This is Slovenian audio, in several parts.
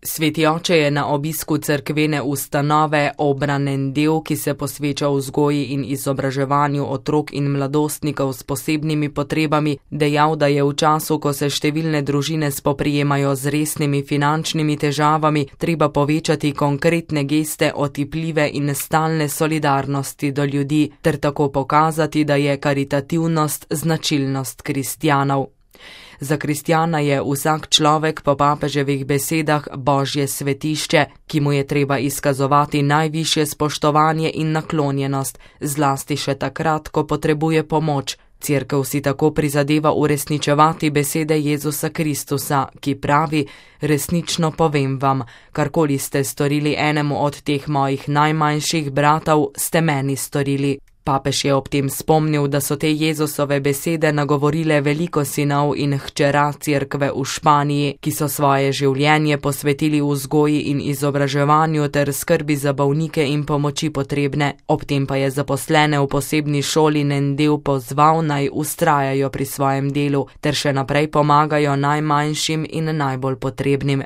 Sveti oče je na obisku cerkvene ustanove Obranen del, ki se posveča vzgoji in izobraževanju otrok in mladostnikov s posebnimi potrebami, dejal, da je v času, ko se številne družine spoprijemajo z resnimi finančnimi težavami, treba povečati konkretne geste otipljive in stalne solidarnosti do ljudi, ter tako pokazati, da je karitativnost značilnost kristjanov. Za kristjana je vsak človek po papeževih besedah Božje svetišče, ki mu je treba izkazovati najvišje spoštovanje in naklonjenost, zlasti še takrat, ko potrebuje pomoč. Cerkev si tako prizadeva uresničevati besede Jezusa Kristusa, ki pravi: resnično povem vam, karkoli ste storili enemu od teh mojih najmanjših bratov, ste meni storili. Papež je ob tem spomnil, da so te Jezusove besede nagovorile veliko sinov in hčera cerkve v Španiji, ki so svoje življenje posvetili vzgoji in izobraževanju ter skrbi za bolnike in pomoči potrebne. Ob tem pa je zaposlene v posebni šoli Nendel pozval, naj vztrajajo pri svojem delu ter še naprej pomagajo najmanjšim in najbolj potrebnim.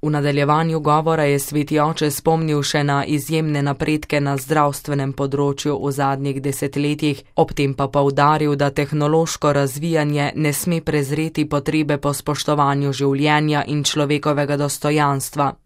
V nadaljevanju govora je sveti oče spomnil še na izjemne napredke na zdravstvenem področju v zadnjih desetletjih, ob tem pa poudaril, da tehnološko razvijanje ne sme prezreti potrebe po spoštovanju življenja in človekovega dostojanstva.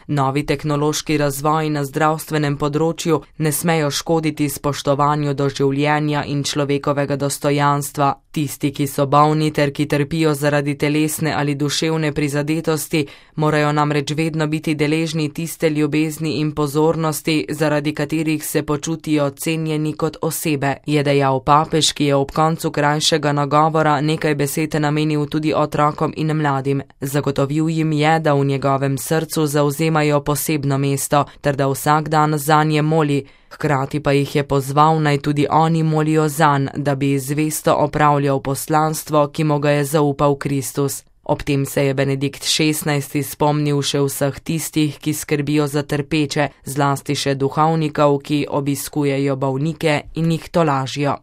Novi tehnološki razvoj na zdravstvenem področju ne smejo škoditi spoštovanju do življenja in človekovega dostojanstva. Tisti, ki so bolni ter ki trpijo zaradi telesne ali duševne prizadetosti, morajo namreč vedno biti deležni tiste ljubezni in pozornosti, zaradi katerih se počutijo cenjeni kot osebe, je dejal papež, ki je ob koncu krajšega nagovora nekaj besed namenil tudi otrokom in mladim. Zagotovil jim je, da v njegovem srcu zavzemajo posebno mesto, ter da vsak dan zanje moli. Hkrati pa jih je pozval, naj tudi oni molijo zanj, da bi zvesto opravljal poslanstvo, ki mu ga je zaupal Kristus. Ob tem se je Benedikt XVI spomnil še vseh tistih, ki skrbijo za trpeče, zlasti še duhovnikov, ki obiskujejo bolnike in jih tolažijo.